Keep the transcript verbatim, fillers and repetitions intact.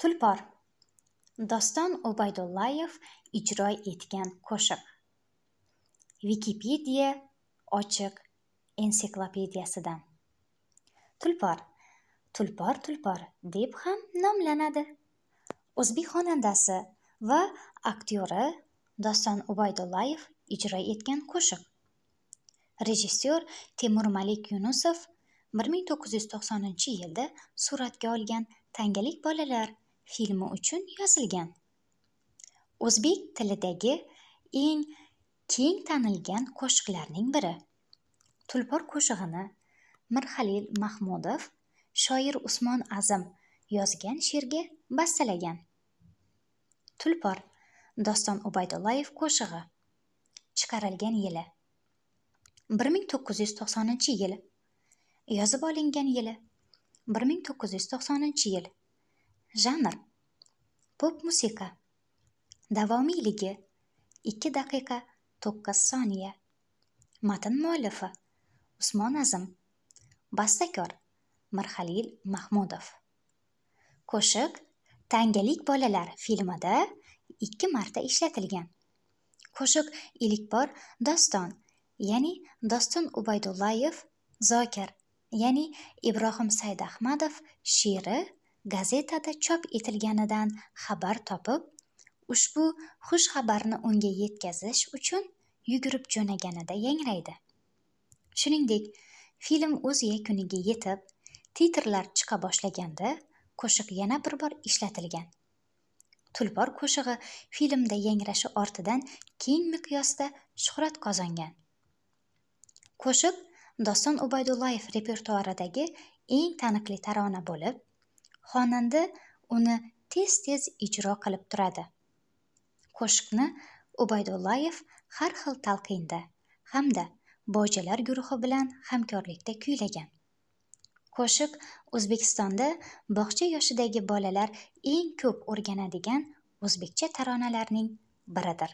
Tulpor. Doston Ubaydullayev ijro etgan qo'shiq. Wikipedia ochiq ensiklopediyasidan. Tulpor. Tulpor tulpor deb ham nomlanadi. O'zbek xonandasi va aktyori Doston Ubaydullayev ijro etgan qo'shiq. Rejissyor Temur Malik Yunusov bir ming to'qqiz yuz to'qsoninchi yilda suratga olgan Tangalik bolalar filmi uchun yozilgan. O'zbek tilidagi eng keng tanilgan qo'shiqlarning biri. Tulpor qo'shig'ini Mirxalil Mahmudov shoir Usmon Azim yozgan she'rga bastalagan. Tulpor Doston Ubaydullayev qo'shig'i. Chiqarilgan yili bir ming to'qqiz yuz to'qsoninchi yil. Yozib olingan yili bir ming to'qqiz yuz to'qsoninchi yil. Janr pop musiqa. Davomiyligi ikki daqiqa to'qqiz soniya. Matn muallifi Usmon Azim. Bastakor Mirxalil Mahmudov. Qo'shiq Tangalik bolalar filmida ikki marta ishlatilgan. Qo'shiq ilk bor Doston, ya'ni Doston Ubaydullayev Zokir, ya'ni Ibrohim Saidahmadov she'ri gazetada chop etilganidan xabar topib, ushbu xush xabarni unga yetkazish uchun yugurib jo'naganida yangraydi. Shuningdek, film o'z yakuniga yetib, titrlar chiqa boshlaganda qo'shiq yana bir bor ishlatilgan. Tulpor qo'shig'i filmda yangrashi ortidan keng miqyosda shuhrat qozongan. Qo'shiq Doston Ubaydullayev repertuaridagi eng taniqli tarona bo'lib, xonanda uni tez-tez ijro qilib turadi. Qo'shiqni Ubaydullayev har xil talqinda hamda bojalar guruhi bilan hamkorlikda kuylagan. Qo'shiq O'zbekistonda bog'cha yoshidagi bolalar eng ko'p o'rganadigan o'zbekcha taronalarning biridir.